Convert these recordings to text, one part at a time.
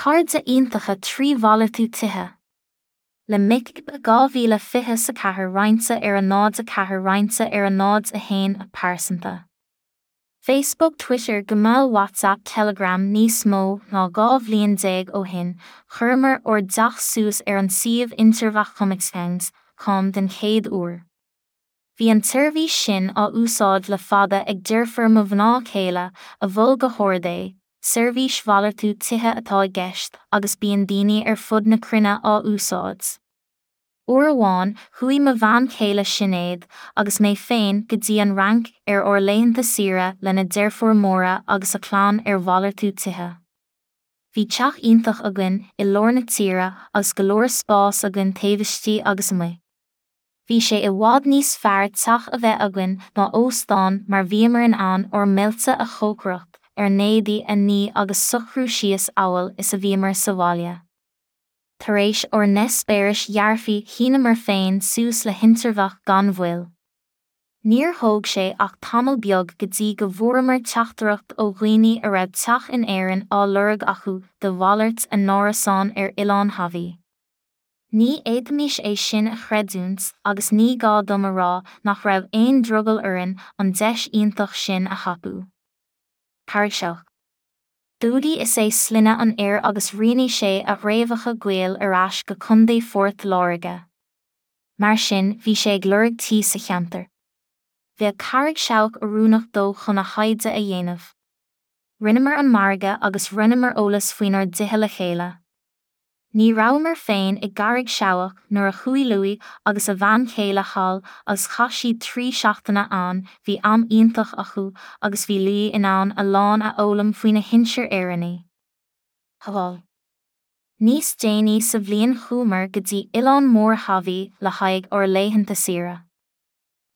Cairde iontacha 3 mhalartú tithe. Le Mick 2024 roinnte ar 0 4 roinnte ar 0 1 A pearsanta. Facebook Twitter Gmail WhatsApp Telegram Níos mó ná 12 bhliain ó shin, chuireamar ár dteach suas ar an suíomh idirlín HomeExchange com den chéad uair. Bhí an tseirbhís sin á úsáid le fada ag deirfiúr mo mhná céile, a mhol go hard é, seirbhís mhalartú tithe atá i gceist agus bíonn daoine ar fud na cruinne á úsáid. Uair amháin, chuaigh mo bhean chéile Sinéad agus mé féin go dtí an Fhrainc ar ár laethanta saoire lena deirfiúr Máire agus a clann ar mhalartú tithe. Bhí teach iontach againn i lár na tíre agus go leor spáis againn taobh istigh agus amuigh. Bhí sé i bhfad níos fearr teach a bheith againn ná óstán mar bhíomar in ann ár mbailte a chócaireacht, ár n-éadaí a ní agus socrú síos amhail is a bhíomar sa bhaile. Tar éis ár n-eispéiris dhearfaigh shíneamar féin suas le hInterbheach gan mhoill. Níor thóg sé ach tamall beag go dtí go bhfuaireamar teachtaireacht ó dhaoine a raibh teach in Éirinn á lorg acu de mhalairt a n-árasán ar Oileán Haváí. Ní fhéadfaimis é sin a chreidiúint agus ní gá dom a rá nach raibh aon drogall orainn an deis iontach sin a thapú. Carraig Seabhac. Dúdaí is ea sloinne an fhir agus rianaigh sé a fhréamhacha gaoil ar ais go Contae Phort Láirge. Mar sin, bhí sé ag lorg tí sa cheantar. Bheadh Carraig Seabhac oiriúnach dó chun a thaighde a dhéanamh. Rinneamar an margadh agus roinneamar eolas faoinár dtithe le chéile. Ní rabhamar féin i gCarraig Seabhac nuair a chuaigh Louis agus a bhean chéile thall agus chaith siad 3 seachtaine ann, bhí am iontach acu agus bhí Louis in ann a lán a fhoghlaim faoina shinsir Éireannaigh. Haváí. Níos déanaí sa bhliain chuamar go dtí oileán mór Haváí le haghaidh ár laethanta saoire.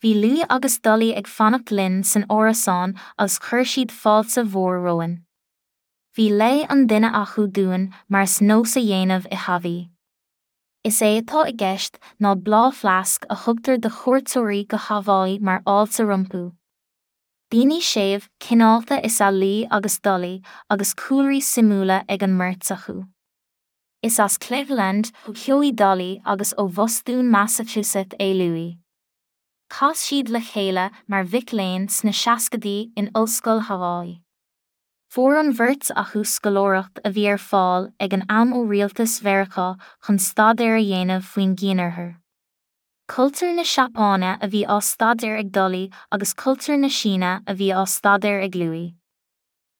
Bhí Louis agus Dolly ag fanacht linn san árasán agus chuir siad fáilte mhór romhainn. Bhí lao an duine acu dúinn mar is nós a dhéanamh i Haváí. Is é atá i gceist ná bláthfhleasc a thugtar do chuairteoirí go Haváí mar fháilte rompu. Daoine séimh, cineálta is ea Louis agus Dolly agus cúlraí suimiúla ag an mbeirt acu. Is as Cleveland, Ohio í Dolly agus ó Bhostún Massachusetts é Louis. Chas siad le chéile mar mhic léinn sna seascaidí in Ollscoil Haváí. Fuair an bheirt acu scoláireacht a bhí ar fáil ag an am ó rialtas Mheiriceá chun staidéar a dhéanamh faoin gCianoirthear. Cultúr na Seapáine a bhí á staidéar ag Dolly agus cultúr na Síne a bhí á staidéar ag Louis.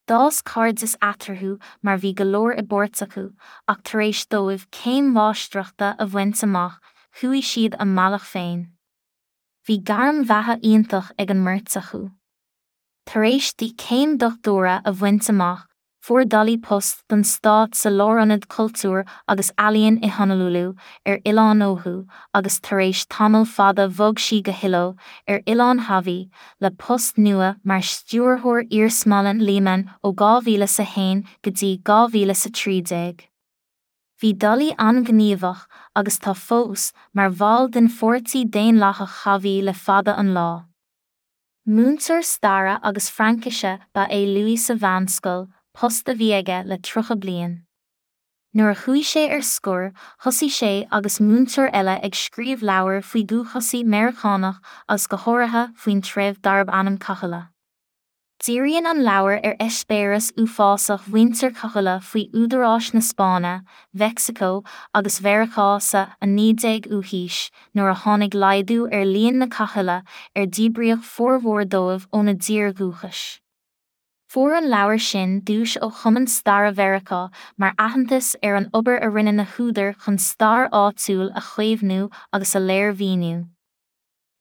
D'fhás cairdeas eatarthu mar bhí go leor i bpáirt acu, ach tar éis dóibh céim mháistreachta a bhaint amach, chuaigh siad a mbealach féin. Bhí gairm bheatha iontach ag an mbeirt acu. Tar éis di céim dochtúra a bhaint amach, fuair Dolly post don stát sa Lárionad Cultúir agus Ealaíon i Honolulu, ar Oileán Oahu, agus tar éis tamall fada bhog sí go Hilo, ar Oileán Haváí, le post nua mar Stiúrthóir Iarsmalann Lehmann ó 2001 go dtí 2013. Bhí Dolly an-ghníomhach, agus tá fós, mar bhall den Pháirtí Daonlathach Haváí le fada an lá. Múinteoir staire agus Fraincise ba ea Louis sa mheánscoil, post a bhí aige le 30 bliain. Nuair a chuaigh sé ar scor, thosaigh sé agus múinteoir eile ag scríobh leabhair faoi dhúchasaigh Meiriceánach agus go háirithe faoin treibh darb ainm Cahuilla. Díríonn an leabhar ar eispéireas uafásach mhuintir Cahuilla faoi údaráis na Spáinne, Mheicsiceo agus Mheiriceá sa 19ú haois, nuair a tháinig laghdú ar líon na Cahuilla ar díbríodh formhór dóibh óna dtír dhúchais. Fuair an leabhar sin duais ó Chumann Staire Mheiriceá mar aitheantas ar an obair a rinne na húdair chun stair áitiúil a chaomhnú agus a léirmhíniú.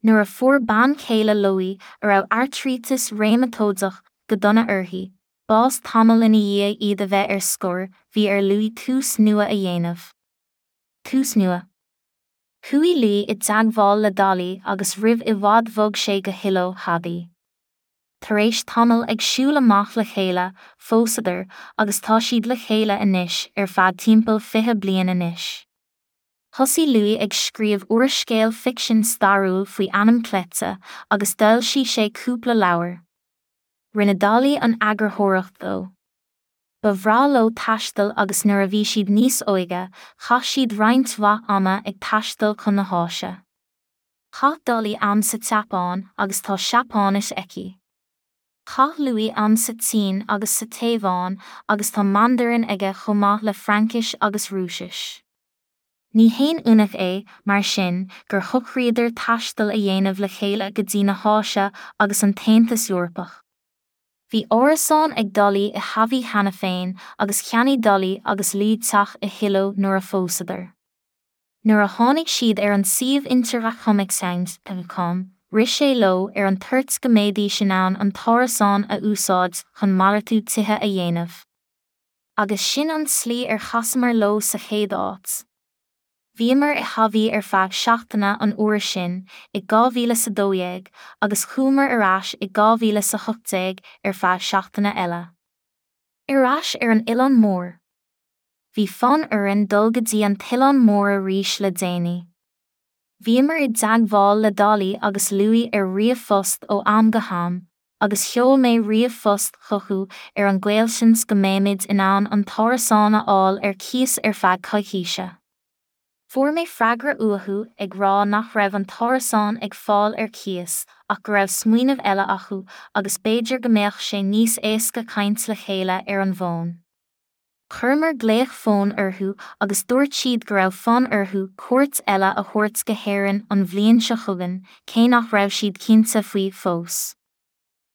Nuair a fuair bean chéile Louis, a raibh airtríteas réamatóideach go dona uirthi, bás tamall ina dhiaidh iad a bheith ar scor, bhí ar Louis tús nua a dhéanamh. Tús nua. Chuaigh Louis i dteagmháil le Dolly agus roimh i bhfad bhog sé go Hilo, Haváí. Tar éis tamaill ag siúl amach le chéile, phósadar agus tá siad le chéile anois ar feadh timpeall 20 bliain anois. Thosaigh Louis ag scríobh úrscéal ficsin stairiúil faoi ainm cleite agus d'fhoilsigh sé cúpla leabhar. Rinne Dolly an eagarthóireacht dó. Ba bhreá leo taisteal agus nuair a bhí siad níos óige, chaith siad roinnt mhaith ama ag taisteal chun na hÁise. Chaith Dolly am sa tSeapáin agus tá Seapáinis aici. Chaith Louis am sa tSín agus sa Téaváin agus tá Mandairin aige chomh maith le Fraincis agus Rúisis. Ní haon ionadh é, mar sin, gur shocraíodar taisteal a dhéanamh le chéile go dtí na hÁise agus an tAontas Eorpach. Bhí árasán ag Dolly i Hawaii cheana féin agus cheannaigh Dolly agus Louis teach i Hilo nuair a phósadar. Nuair a tháinig siad ar an suíomh intervachomeexchange.com, rith sé leo ar an toirt go mbeidís in ann an t-árasán a úsáid chun malartú tithe a dhéanamh. Agus sin an tslí ar chasamar leo sa chéad áit. Bhíomar i Hawaii ar feadh seachtaine an uair sin, i 2012, agus chuamar ar ais i 2018 ar feadh seachtaine eile. Ar ais ar an Oileán Mór. Bhí fonn orainn dul go dtí an tOileán Mór arís le déanaí. Bhíomar i dteagmháil le Dolly agus Louis ar ríomhphost ó am go ham, agus sheol mé ríomhphost chucu ar an gcaolseans go mbeimid in ann an t-árasán a fháil ar cíos ar feadh coicíse. Fuair mé freagra uathu ag rá nach raibh an t-árasán ag fáil ar cíos ach go raibh smaoineamh eile acu agus b'fhéidir go mbeadh sé níos éasca caint le chéile ar an bhfón. Chuireamar glaoch fóin orthu agus dúirt siad go raibh fonn orthu cuairt eile a thabhairt go hÉirinn an bhliain seo chugainn, cé nach raibh siad cinnte faoi fós.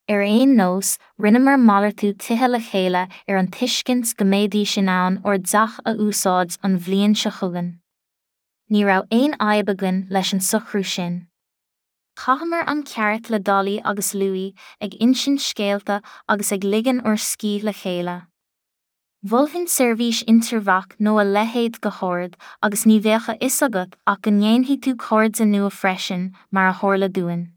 Ar aon nós, rinneamar malartú tithe le chéile ar an tuiscint go mbeidís in ann ár dteach a úsáid an bhliain seo chugainn. Ní raibh aon fhadhb againn leis an socrú sin. Chaitheamar am ceart le Dolly agus Louis, ag insint scéalta agus ag ligean ár scíth le chéile. Mholfainn seirbhís Intervac nó a leithéid go hard agus ní bheadh a fhios agat ach go ndéanfaidh tú cairde nua freisin, mar a tharla dúinn.